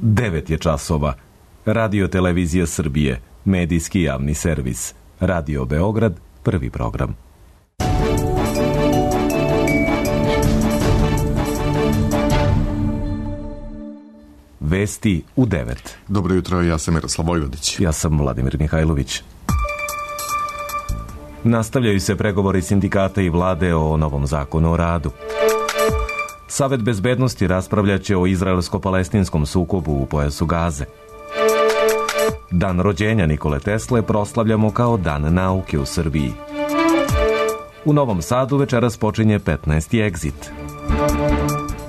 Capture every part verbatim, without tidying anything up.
devet je časova. Radio Televizija Srbije, medijski javni servis. Radio Beograd, prvi program. Vesti u devet. Dobro jutro, ja sam Miroslav Vojvodić. Ja sam Vladimir Mihajlović. Nastavljaju se pregovori sindikata i vlade o novom zakonu o radu. Savet bezbednosti raspravljaće o izraelsko-palestinskom sukobu u pojasu Gaze. Dan rođenja Nikole Tesle proslavljamo kao Dan nauke u Srbiji. U Novom Sadu večeras počinje petnaesti egzit.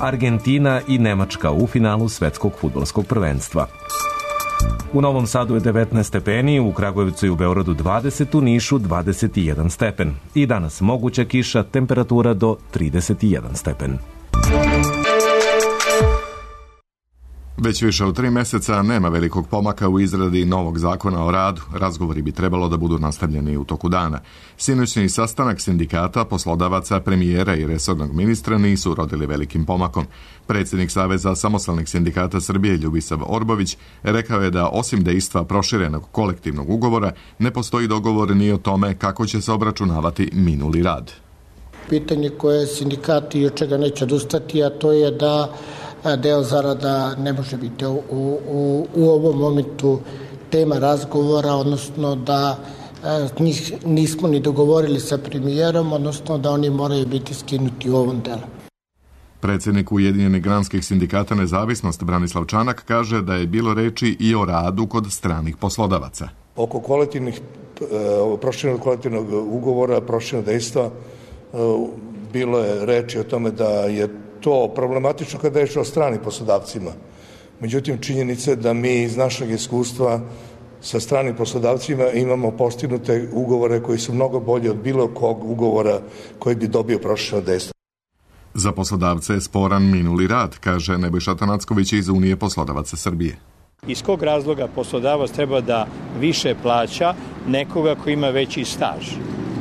Argentina i Nemačka u finalu svetskog fudbalskog prvenstva. U Novom Sadu je devetnaest stepeni, u Kragujevcu i u Beogradu dvadeset, u Nišu dvadeset jedan stepen. I danas moguća kiša, temperatura do trideset jedan stepen. Već više od tri meseca nema velikog pomaka u izradi novog zakona o radu. Razgovori bi trebalo da budu nastavljeni u toku dana. Sinoćni sastanak sindikata, poslodavaca, premijera i resornog ministra nisu urodili velikim pomakom. Predsjednik Saveza samostalnih sindikata Srbije Ljubisav Orbović rekao je da osim dejstva proširenog kolektivnog ugovora ne postoji dogovor ni o tome kako će se obračunavati minuli rad. Pitanje koje sindikati od čega neće odustati, a to je da deo zarada ne može biti u, u, u ovom momentu tema razgovora, odnosno da njih nismo ni dogovorili sa premijerom, odnosno da oni moraju biti skinuti u ovom delu. Predsjednik Ujedinjenih granskih sindikata Nezavisnost Branislav Čanak kaže da je bilo reči i o radu kod stranih poslodavaca. Oko kolektivnih, proširenog kolektivnog ugovora, proširenog dejstva, bilo je reči o tome da je to problematično kada je o stranim poslodavcima. Međutim, činjenica je da mi iz našeg iskustva sa stranim poslodavcima imamo postignute ugovore koji su mnogo bolji od bilo kog ugovora koji bi dobio prošireno dejstvo. Za poslodavce je sporan minuli rad, kaže Nebojša Tanacković iz Unije poslodavaca Srbije. Iz kog razloga poslodavac treba da više plaća nekoga koji ima veći staž?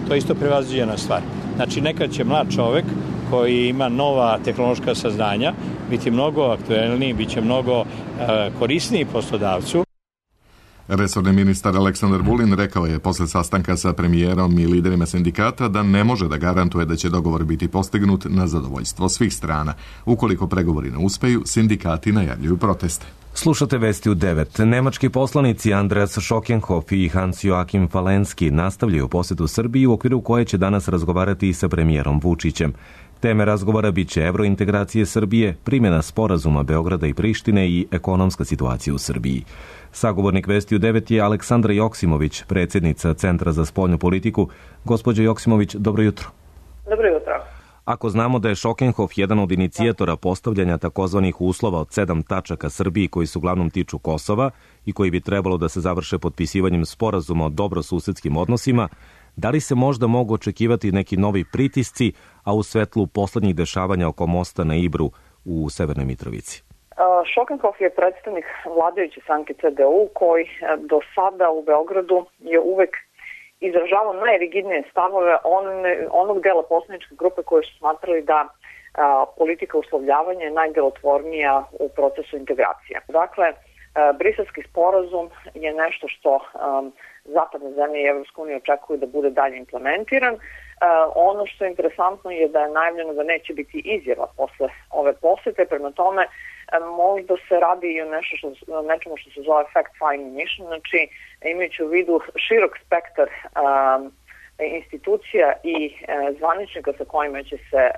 To je isto prevaziđena stvar. Znači, nekad će mlad čovek koji ima nova tehnološka saznanja biti mnogo aktuelniji, bit će mnogo uh, korisniji poslodavcu. Resorni ministar Aleksandar Vulin rekao je posle sastanka sa premijerom i liderima sindikata da ne može da garantuje da će dogovor biti postignut na zadovoljstvo svih strana. Ukoliko pregovori ne uspeju, sindikati najavljuju proteste. Slušate Vesti u devet. Nemački poslanici Andreas Schockenhoff i Hans-Joachim Falenski nastavljaju posetu Srbiji u okviru koje će danas razgovarati i sa premijerom Vučićem. Teme razgovora biće evrointegracije Srbije, primjena sporazuma Beograda i Prištine i ekonomska situacija u Srbiji. Sagovornik Vesti u devet je Aleksandra Joksimović, predsjednica Centra za spoljnu politiku. Gospođo Joksimović, dobro jutro. Dobro jutro. Ako znamo da je Schockenhoff jedan od inicijatora postavljanja takozvanih uslova od sedam tačaka Srbiji koji su uglavnom tiču Kosova i koji bi trebalo da se završe potpisivanjem sporazuma o dobrosusedskim odnosima, da li se možda mogu očekivati neki novi pritisci, a u svetlu poslednjih dešavanja oko mosta na Ibru u Severnoj Mitrovici? Schockenhoff je predstavnik vladajuće stranke C D U koji do sada u Beogradu je uvek izražavao najrigidnije stavove on, onog dela poslaničke grupe koji su smatrali da a, politika uslovljavanja je najdelotvornija u procesu integracije. Dakle, a, Briselski sporazum je nešto što a, zapadne zemlje i Evropska unija očekuju da bude dalje implementiran. A, ono što je interesantno je da je najavljeno da neće biti izjava posle ove posete, prema tome a, možda se radi i o nešto što, nečemu što se zove fact-finding mission, znači imajući u vidu širok spektar um, institucija i uh, zvaničnika sa kojima će se uh,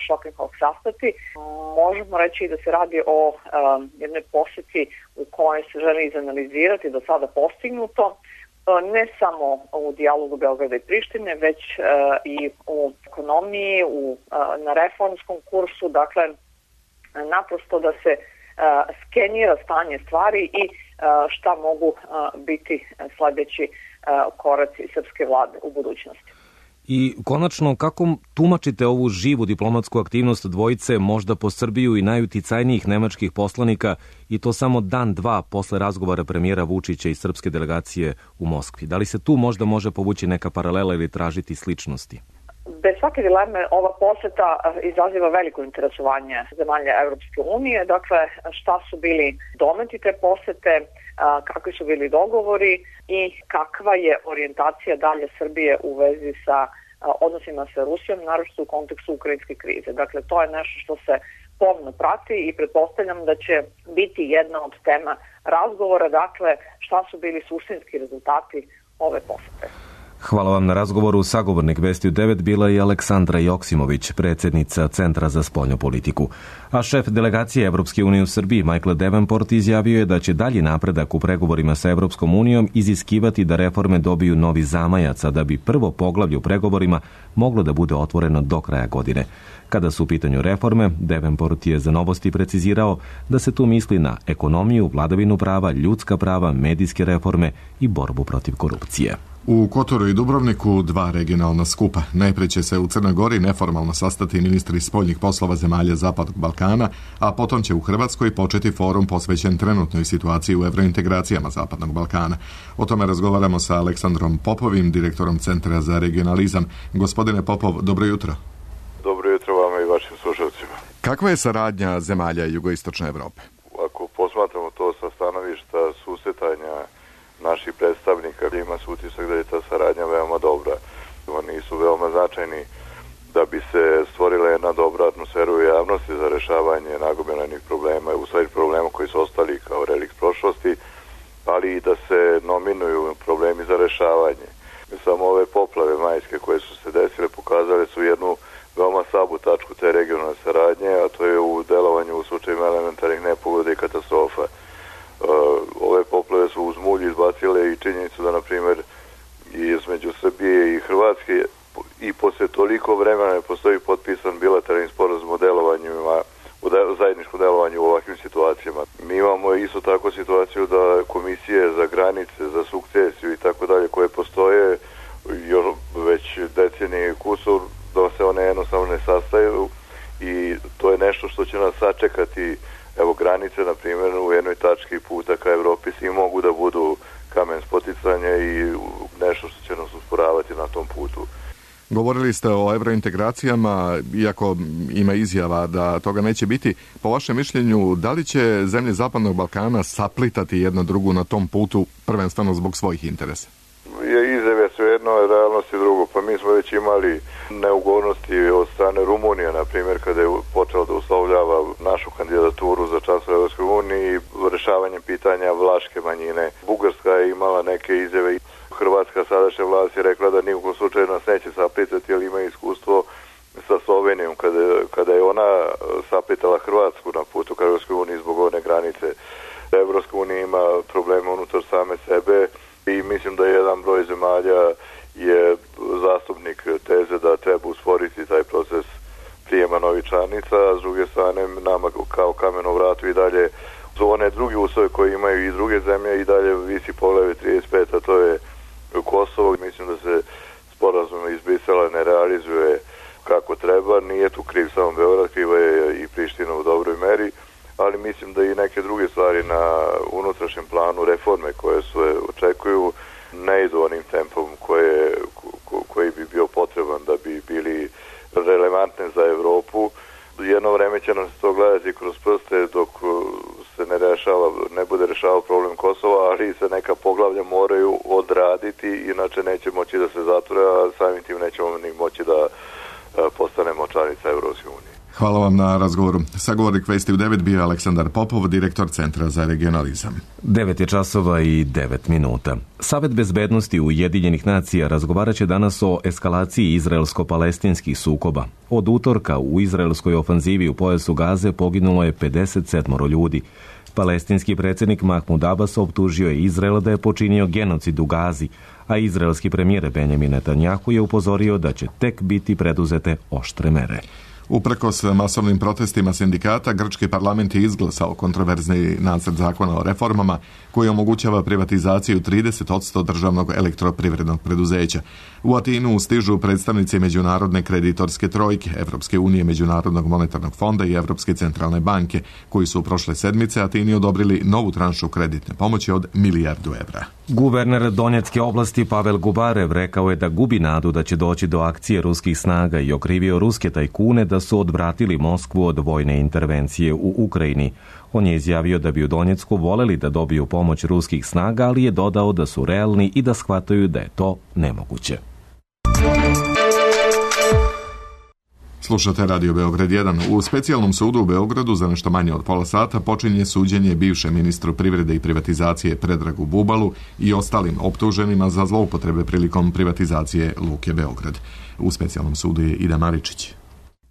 Schockenhoff sastati, možemo reći da se radi o um, jednoj poseti u kojoj se želi izanalizirati do sada postignuto, uh, ne samo u dijalogu Beograda i Prištine, već uh, i u ekonomiji, u, uh, na reformskom kursu, dakle naprosto da se uh, skenira stanje stvari i uh, šta mogu uh, biti sledeći uh, koraci srpske vlade u budućnosti. I konačno, kako tumačite ovu živu diplomatsku aktivnost dvojice, možda po Srbiju i najuticajnijih nemačkih poslanika, i to samo dan, dva posle razgovora premijera Vučića i srpske delegacije u Moskvi? Da li se tu možda može povući neka paralela ili tražiti sličnosti? Bez svake dileme ova poseta izaziva veliko interesovanje zemalja Evropske unije. Dakle, šta su bili dometi te posete, kakvi su bili dogovori i kakva je orijentacija dalje Srbije u vezi sa odnosima sa Rusijom, naročito u kontekstu ukrajinske krize. Dakle, to je nešto što se pomno prati i pretpostavljam da će biti jedna od tema razgovora, dakle, šta su bili suštinski rezultati ove posete. Hvala vam na razgovoru. Sagovornik Vesti u devet bila je Aleksandra Joksimović, predsjednica Centra za spoljnu politiku. A šef delegacije Evropske unije u Srbiji, Michael Davenport, izjavio je da će dalji napredak u pregovorima sa Evropskom unijom iziskivati da reforme dobiju novi zamajac, a da bi prvo poglavlje u pregovorima moglo da bude otvoreno do kraja godine. Kada su u pitanju reforme, Davenport je za Novosti precizirao da se tu misli na ekonomiju, vladavinu prava, ljudska prava, medijske reforme i borbu protiv korupcije. U Kotoru i Dubrovniku dva regionalna skupa. Najprije će se u Crnoj Gori neformalno sastati ministri spoljnih poslova zemalja Zapadnog Balkana, a potom će u Hrvatskoj početi forum posvećen trenutnoj situaciji u evrointegracijama Zapadnog Balkana. O tome razgovaramo sa Aleksandrom Popovim, direktorom Centra za regionalizam. Gospodine Popov, dobro jutro. Dobro jutro vama i vašim slušalcima. Kakva je saradnja zemalja jugoistočne Evrope? Ako posmatramo to sa stanovišta susretanja naših predstavnika, ima se utisak da je ta saradnja veoma dobra. Oni su veoma značajni da bi se stvorila jedna dobra atmosfera u javnosti za rešavanje nagomilanih problema, u stvari problema koji su ostali kao relikt prošlosti, ali i da se nominuju problemi za rešavanje. Samo ove poplave majske koje su se desile pokazale su jednu veoma slabu tačku te regionalne saradnje, a to je u delovanju u slučajima elementarnih nepogoda i katastrofa. Uh, ove poplave su uz mulj izbacile i činjenicu da, na primjer, između Srbije i Hrvatske i posle toliko vremena ne postoji potpisan bilateralni sporazum o delovanju, o de, zajedničkom delovanju u ovakvim situacijama. Mi imamo isto tako situaciju da komisije za granice, za sukcesiju i tako dalje koje postoje još već decenije i kusur, da se one jednostavno ne sastaju i to je nešto što će nas sačekati. Evo, granice, na primjer, u jednoj tački puta ka Evropi svi mogu da budu kamen spoticanja i nešto što će nas usporavati na tom putu. Govorili ste o evrointegracijama, iako ima izjava da toga neće biti. Po vašem mišljenju, da li će zemlje Zapadnog Balkana saplitati jedno drugu na tom putu, prvenstveno zbog svojih interesa? Izjave su jedno, realnost je drugo. Pa mi smo već imali neugodnosti od strane Rumunije, na primjer, kada je počelo da uslovljava našu kandidaturu za članstvo u Evropskoj uniji, rešavanje pitanja vlaške manjine. Bugarska je imala neke izjave. Hrvatska sadašnja vlast je rekla da nijekom slučaju nas neće saplitati, jer ima iskustvo sa Slovenijom, kada, kada je ona saplitala Hrvatsku na putu ka Evropskoj uniji zbog one granice. Evropska unija ima probleme unutar same sebe i mislim da jedan broj zemalja je zastupnik teze da treba usporiti taj proces prijema novih članica, a s druge strane nama kao kamen u vratu i dalje su one drugi uslove koje imaju i druge zemlje i dalje visi poglavlje trideset pet, a to je Kosovo. Mislim da se sporazum iz Brisela ne realizuje kako treba, nije tu kriv samo Beograd, kriva je i Priština u dobroj meri, ali mislim da i neke druge stvari na unutrašnjem planu, reforme koje se očekuju, ne idu onim tempom koje, ko, koji bi bio potreban da bi bili relevantne za Evropu. Jedno vreme će nas to gledati kroz prste dok se ne rešava, ne bude rešavao problem Kosova, ali se neka poglavlja moraju odraditi, inače neće moći da se zatvore, a samim tim nećemo ni moći da postanemo članica Evropske unije. Hvala vam na razgovoru. Sagovornik Vesti u devet bio Aleksandar Popov, direktor Centra za regionalizam. devet je časova i devet minuta. Savet bezbednosti Ujedinjenih nacija razgovarat će danas o eskalaciji izraelsko-palestinskih sukoba. Od utorka u izraelskoj ofanzivi u pojasu Gaze poginulo je pedeset sedam ljudi. Palestinski predsjednik Mahmud Abbas optužio je Izrael da je počinio genocid u Gazi, a izraelski premijer Benjamin Netanjahu je upozorio da će tek biti preduzete oštre mere. Uprkos masovnim protestima sindikata, grčki parlament je izglasao kontroverzni nacrt zakona o reformama koji omogućava privatizaciju trideset posto državnog elektroprivrednog preduzeća. U Atinu stižu predstavnici međunarodne kreditorske trojke, Evropske unije, Međunarodnog monetarnog fonda i Evropske centralne banke, koji su prošle sedmice Atini odobrili novu tranšu kreditne pomoći od milijardu evra. Guverner Donjecke oblasti Pavel Gubarev rekao je da gubi nadu da će doći do akcije ruskih snaga i okrivio ruske tajkune da su odvratili Moskvu od vojne intervencije u Ukrajini. On je izjavio da bi u Donjecku voleli da dobiju pomoć ruskih snaga, ali je dodao da su realni i da shvataju da je to nemoguće. Slušate Radio Beograd jedan. U specijalnom sudu u Beogradu za nešto manje od pola sata počinje suđenje bivšem ministru privrede i privatizacije Predragu Bubalu i ostalim optuženima za zloupotrebe prilikom privatizacije Luke Beograd. U specijalnom sudu je Ida Maričić.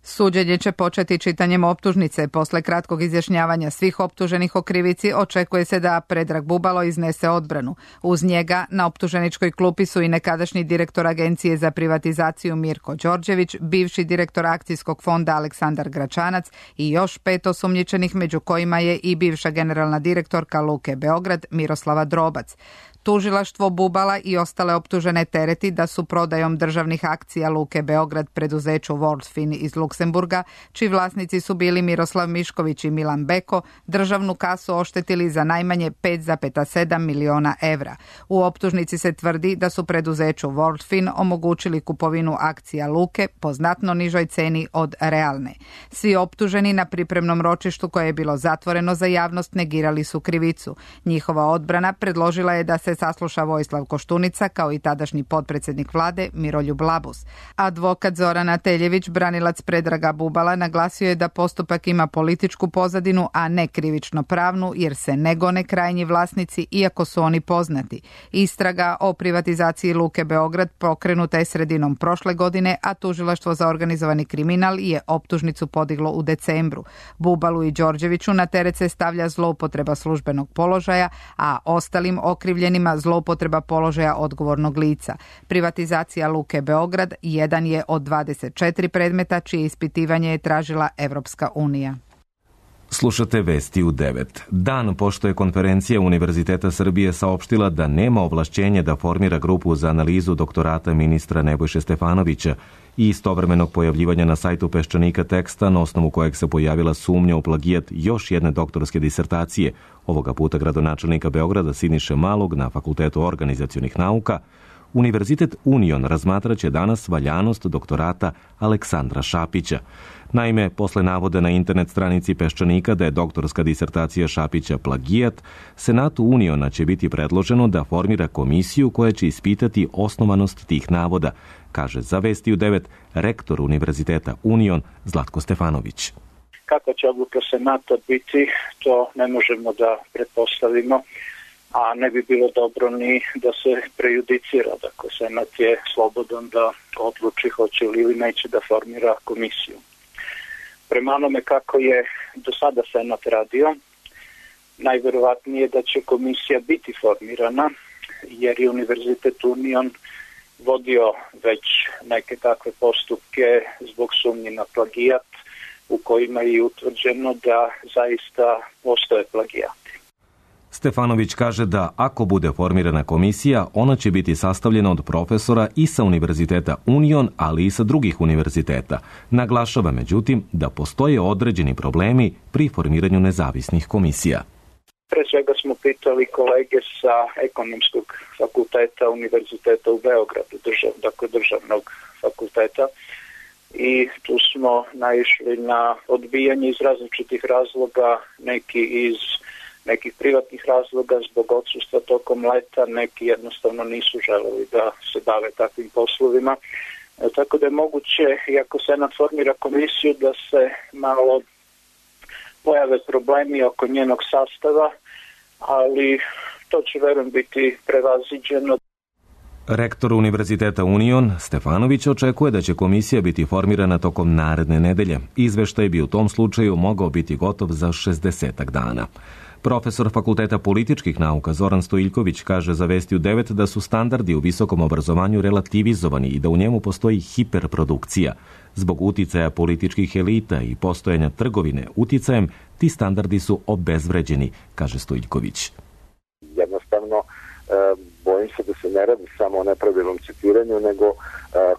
Suđenje će početi čitanjem optužnice. Posle kratkog izjašnjavanja svih optuženih o krivici očekuje se da Predrag Bubalo iznese odbranu. Uz njega na optuženičkoj klupi su i nekadašnji direktor Agencije za privatizaciju Mirko Đorđević, bivši direktor akcijskog fonda Aleksandar Gračanac i još pet osumnjičenih, među kojima je i bivša generalna direktorka Luke Beograd Miroslava Drobac. Tužilaštvo Bubala i ostale optužene tereti da su prodajom državnih akcija Luke Beograd preduzeću Worldfin iz Luksemburga, čiji vlasnici su bili Miroslav Mišković i Milan Beko, državnu kasu oštetili za najmanje pet zarez sedam miliona evra. U optužnici se tvrdi da su preduzeću Worldfin omogućili kupovinu akcija Luke po znatno nižoj ceni od realne. Svi optuženi na pripremnom ročištu koje je bilo zatvoreno za javnost negirali su krivicu. Njihova odbrana predložila je da se sasluša Vojislav Koštunica kao i tadašnji potpredsjednik vlade Miroljub Labus. Advokat Zorana Teljević, branilac Predraga Bubala, naglasio je da postupak ima političku pozadinu, a ne krivično pravnu, jer se ne gone krajnji vlasnici iako su oni poznati. Istraga o privatizaciji Luke Beograd pokrenuta je sredinom prošle godine, a tužilaštvo za organizovani kriminal je optužnicu podiglo u decembru. Bubalu i Đorđeviću na teret se stavlja zloupotreba službenog položaja, a ostalim okrivljenima zloupotreba položaja odgovornog lica. Privatizacija Luke Beograd jedan je od dvadeset četiri predmeta čije ispitivanje je tražila Evropska unija. Slušate vesti u devet. Dan pošto je konferencija Univerziteta Srbije saopštila da nema ovlašćenja da formira grupu za analizu doktorata ministra Nebojše Stefanovića i istovremenog pojavljivanja na sajtu Peščanika teksta na osnovu kojeg se pojavila sumnja u plagijat još jedne doktorske disertacije, ovoga puta gradonačelnika Beograda Siniše Malog na Fakultetu organizacionih nauka, Univerzitet Union razmatraće danas valjanost doktorata Aleksandra Šapića. Naime, posle navoda na internet stranici Peščanika da je doktorska disertacija Šapića plagijat, Senatu Uniona će biti predloženo da formira komisiju koja će ispitati osnovanost tih navoda, kaže za Vesti u devet rektor Univerziteta Union Zlatko Stefanović. Kako će odluka Senata biti, to ne možemo da pretpostavimo, a ne bi bilo dobro ni da se prejudicira. Dakle, Senat je slobodan da odluči hoće li ili neće da formira komisiju. Prema onome kako je do sada Senat radio, najverovatnije da će komisija biti formirana, jer je Univerzitet Union vodio već neke takve postupke zbog sumnje na plagijat, u kojima je utvrđeno da zaista postoje plagijati. Stefanović kaže da ako bude formirana komisija, ona će biti sastavljena od profesora i sa Univerziteta Union, ali i sa drugih univerziteta. Naglašava, međutim, da postoje određeni problemi pri formiranju nezavisnih komisija. Pre svega smo pitali kolege sa ekonomskog fakulteta Univerziteta u Beogradu, držav, dakle državnog fakulteta, i tu smo naišli na odbijanje iz različitih razloga, neki iz nekih privatnih razloga zbog odsustva tokom leta, neki jednostavno nisu želeli da se bave takvim poslovima. E, tako da je moguće, iako Senat formira komisiju, da se malo pojave problemi oko njenog sastava, ali to će verujem biti prevaziđeno. Rektor Univerziteta Union Stefanović očekuje da će komisija biti formirana tokom naredne nedelje. Izveštaj bi u tom slučaju mogao biti gotov za šezdesetak dana. Profesor Fakulteta političkih nauka Zoran Stojiljković kaže za Vesti u devet da su standardi u visokom obrazovanju relativizovani i da u njemu postoji hiperprodukcija. Zbog uticaja političkih elita i postojanja trgovine uticajem, ti standardi su obezvređeni, kaže Stojiljković. Jednostavno, bojim se da se ne radi samo o nepravilnom citiranju, nego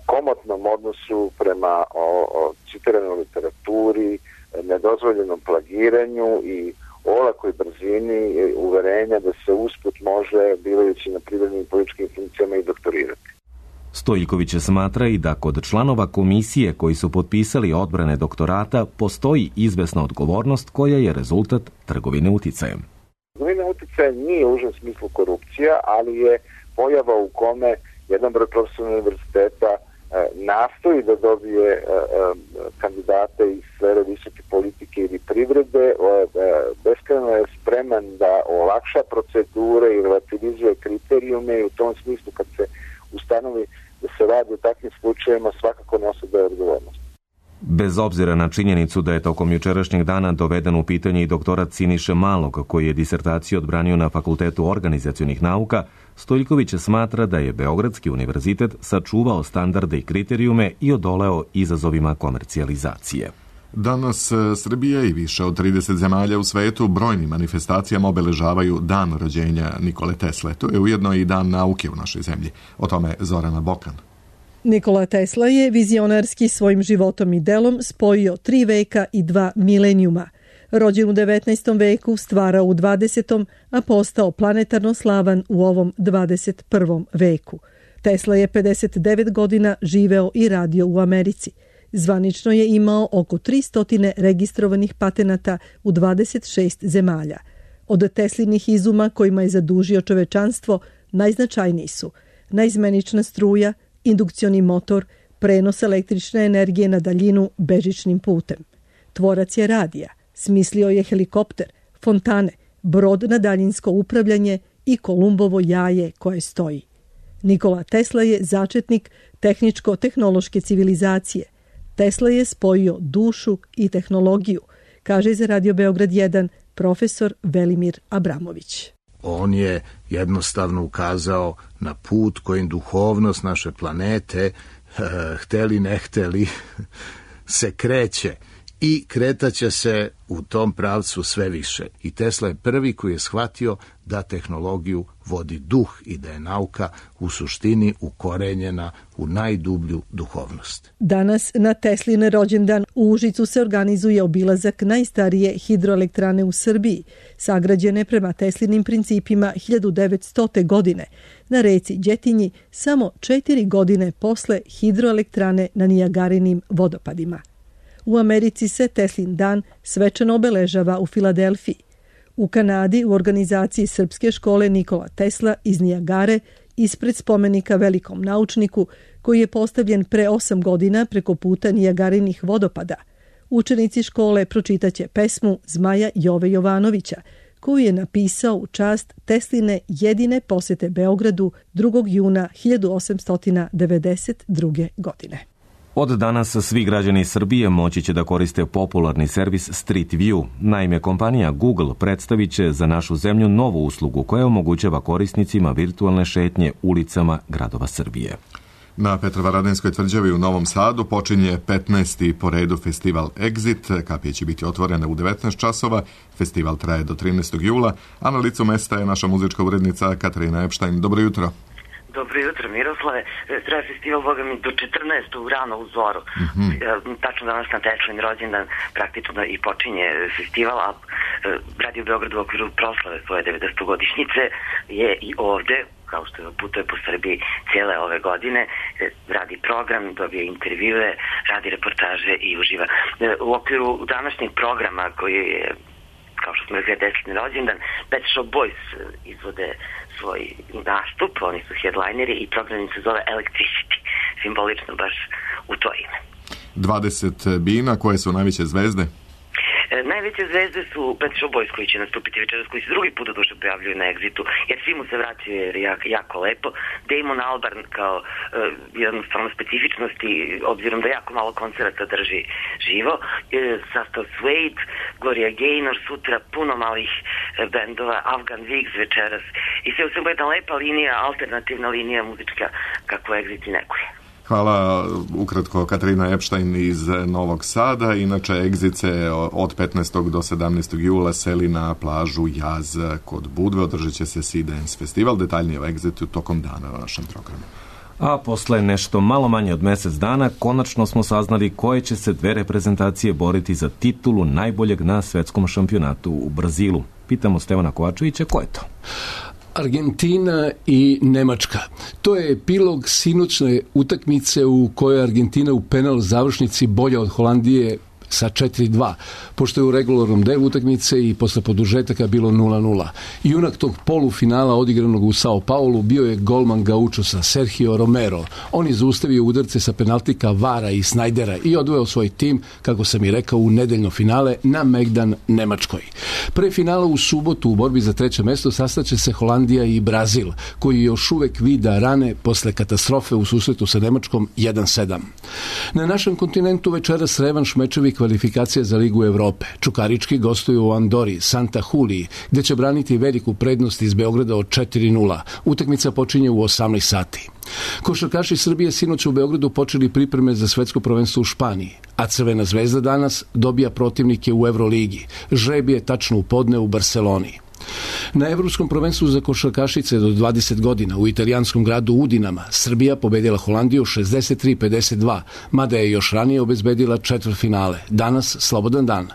komotnom odnosu prema o, o citiranoj literaturi, nedozvoljenom plagiranju i olakoj brzini uverenja da se usput može, bivajući na privrednim i političkim funkcijama, i doktorirati. Stojiljković smatra i da kod članova komisije koji su potpisali odbrane doktorata postoji izvesna odgovornost koja je rezultat trgovine uticajem. Trgovina uticajem nije u užem smislu korupcija, ali je pojava u kome jedan broj profesora univerziteta nastoji da dobije kandidate iz sfere visoke politike ili privrede, beskrajno je spreman da olakša procedure i relativizuje kriterijume, i u tom smislu kad se ustanovi da se radi o takvim slučajevima svakako nosi da je odgovornost. Bez obzira na činjenicu da je tokom jučerašnjeg dana doveden u pitanje i doktorat Siniše Malog, koji je disertaciju odbranio na Fakultetu organizacionih nauka, Stojiljković smatra da je Beogradski univerzitet sačuvao standarde i kriterijume i odoleo izazovima komercijalizacije. Danas Srbija i više od trideset zemalja u svetu brojnim manifestacijama obeležavaju dan rođenja Nikole Tesle. To je ujedno i dan nauke u našoj zemlji. O tome Zorana Bokan. Nikola Tesla je vizionarski svojim životom i delom spojio tri veka i dva milenijuma. Rođen u devetnaestom veku, stvarao u dvadesetom, a postao planetarno slavan u ovom dvadeset prvom veku. Tesla je pedeset devet godina živeo i radio u Americi. Zvanično je imao oko tristo registrovanih patenata u dvadeset šest zemalja. Od Teslinih izuma kojima je zadužio čovečanstvo najznačajniji su naizmenična struja, indukcioni motor, prenos električne energije na daljinu bežičnim putem. Tvorac je radija, smislio je helikopter, fontane, brod na daljinsko upravljanje i Kolumbovo jaje koje stoji. Nikola Tesla je začetnik tehničko-tehnološke civilizacije. Tesla je spojio dušu i tehnologiju, kaže za Radio Beograd jedan profesor Velimir Abramović. On je jednostavno ukazao na put kojim duhovnost naše planete, hteli ne hteli, se kreće i kretaće se u tom pravcu sve više. I Tesla je prvi koji je shvatio da tehnologiju vodi duh i da je nauka u suštini ukorenjena u najdublju duhovnost. Danas na Teslin rođendan u Užicu se organizuje obilazak najstarije hidroelektrane u Srbiji, sagrađene prema Teslinim principima hiljadu devetstote. godine na reci Đetinji, samo četiri godine posle hidroelektrane na Nijagarinim vodopadima. U Americi se Teslin dan svečano obeležava u Filadelfiji. U Kanadi u organizaciji Srpske škole Nikola Tesla iz Nijagare ispred spomenika velikom naučniku koji je postavljen pre osam godina preko puta Nijagarinih vodopada. Učenici škole pročitaće pesmu Zmaja Jove Jovanovića koju je napisao u čast Tesline jedine posete Beogradu drugog juna hiljadu osamsto devedeset druge. godine. Od danas svi građani Srbije moći će da koriste popularni servis Street View. Naime, kompanija Google predstavit će za našu zemlju novu uslugu koja omogućava korisnicima virtualne šetnje ulicama gradova Srbije. Na Petrovaradinskoj tvrđavi u Novom Sadu počinje petnaesti po redu festival Exit. Kapije će biti otvorene u devetnaest časova. Festival traje do trinaestog jula, a na licu mesta je naša muzička urednica Katarina Epštajn. Dobro jutro. Dobro jutro, Miroslave. Traje festival, boga mi, do četrnaestog rano u zoru. Mm-hmm. Tačno danas na Teslin rođendan praktično i počinje festival, a Radio Beograd u okviru proslave svoje devedesetogodišnjice je i ovde, kao što putuje po Srbiji cijele ove godine, radi program, dobije intervjue, radi reportaže i uživa. U okviru današnjeg programa koji je, kao što smo rekli, Teslin rođendan, Pet Shop Boys izvode svoj nastup, oni su headlineri i program se zove Electricity, simbolično baš u to ime. dvadeset bina, koje su najveće zvezde? E, najveće zvezde su Pet Shop Boys koji će nastupiti večeras, koji se drugi put duše pojavljuju na Exitu, jer svi mu se vraćaju jer je jako, jako lepo. Damon Albarn kao e, jedna stvarno specifičnosti, obzirom da jako malo koncerata drži živo. E, sastav Suede, Gloria Gaynor, sutra puno malih e, bendova, Afgan Wigs večeras. I sve u svemu jedna lepa linija, alternativna linija muzička kako Exit i nekuje. Hvala ukratko Katarina Epštajn iz Novog Sada. Inače, Exit se od petnaestog do sedamnaestog jula seli na plažu Jaz kod Budve. Održat će se Sea Dance festival. Detaljnije o Exitu tokom dana na našem programu. A posle nešto malo manje od mesec dana, konačno smo saznali koje će se dve reprezentacije boriti za titulu najboljeg na svetskom šampionatu u Brazilu. Pitamo Stevana Kovačevića, ko je to? Argentina i Nemačka. To je epilog sinoćne utakmice u kojoj Argentina u penal završnici bolja od Holandije sa četiri dva, pošto je u regularnom delu utakmice i posle produžetaka bilo nula nula. Junak tog polufinala odigranog u Sao Paulu bio je golman Gaučosa Sergio Romero. On je zaustavio udarce sa penaltika Vara i Snajdera i odveo svoj tim, kako sam i rekao, u nedeljno finale na megdan Nemačkoj. Pre finala u subotu u borbi za treće mesto sastaće se Holandija i Brazil, koji još uvek vida rane posle katastrofe u susretu sa Nemačkom jedan sedam. Na našem kontinentu večeras revanš mečevi kvalifikacija za Ligu Evrope. Čukarički gostuju u Andori, Santa Juliji, gde će braniti veliku prednost iz Beograda od četiri nula. Utakmica počinje u osamnaest sati. Košarkaši Srbije sinoć u Beogradu počeli pripreme za svetsko prvenstvo u Španiji, a Crvena zvezda danas dobija protivnike u Evroligi. Žreb je tačno u podne u Barseloni. Na Evropskom prvenstvu za košarkašice do dvadeset godina u italijanskom gradu Udinama Srbija pobedila Holandiju šezdeset tri pedeset dva, mada je još ranije obezbedila četvrtfinale. Danas slobodan dan.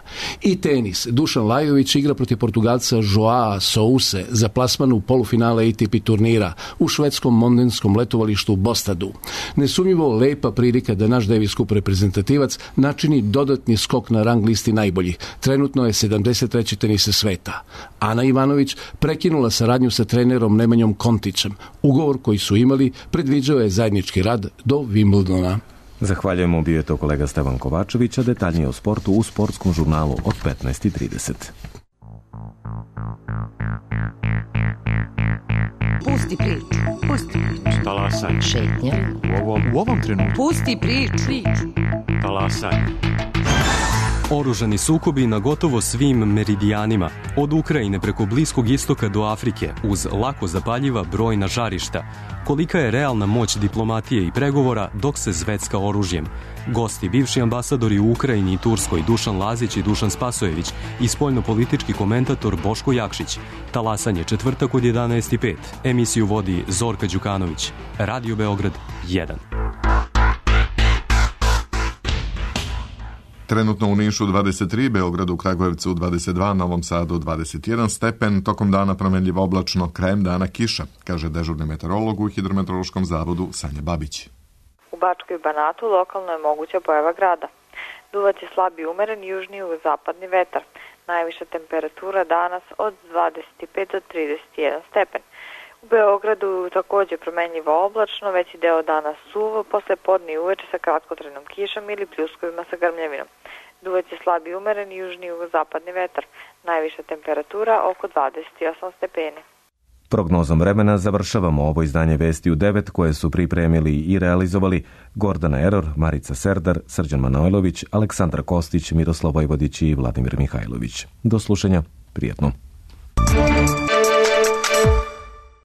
I tenis. Dušan Lajović igra protiv Portugalca Joao Souse za plasman u polufinale A T P turnira u švedskom mondenskom letovalištu Bostadu. Nesumnjivo lepa prilika da naš Davis Cup reprezentativac načini dodatni skok na rang listi najboljih. Trenutno je sedamdeset treći tenise sveta. Ana Ivanović prekinula saradnju sa trenerom Nemanjom Kontićem. Ugovor koji su imali predviđao je zajednički rad do Wimbledona. Zahvaljujemo, bio je to kolega Stevan Kovačević, a detaljnije o sportu u sportskom žurnalu od petnaest i trideset. Pusti priču, pusti priču. Talasaj. Šetnja. U ovom, u ovom trenutku. Pusti priču. priču. Talasaj. Oružani sukobi na gotovo svim meridijanima, od Ukrajine preko Bliskog istoka do Afrike, uz lako zapaljiva brojna žarišta. Kolika je realna moć diplomatije i pregovora dok se zvecka oružjem? Gosti, bivši ambasadori u Ukrajini i Turskoj Dušan Lazić i Dušan Spasojević i spoljnopolitički komentator Boško Jakšić. Talasanje četvrtak od jedanaest i pet. Emisiju vodi Zorka Đukanović. Radio Beograd jedan. Trenutno u Nišu dvadeset tri, Beogradu, Kragujevcu dvadeset dva, Novom Sadu dvadeset jedan stepen, tokom dana promenljivo oblačno, krajem dana kiša, kaže dežurni meteorolog u Hidrometeorološkom zavodu Sanja Babić. U Bačkoj i Banatu lokalno je moguća pojava grada. Duvaće slabi umeren južni i zapadni vetar. Najviša temperatura danas od dvadeset pet do trideset jedan stepen. U Beogradu takođe promenljivo oblačno, veći deo dana suvo, posle podne i uveče sa kratkotrajnom kišom ili pljuskovima sa grmljavinom. Duvaće slabi umeren južni i zapadni vetar. Najviša temperatura oko dvadeset osam stepeni. Prognozom vremena završavamo ovo izdanje Vesti u devet koje su pripremili i realizovali Gordana Eror, Marica Serdar, Srđan Manojlović, Aleksandra Kostić, Miroslav Vojvodić i Vladimir Mihajlović. Do slušanja, prijatno.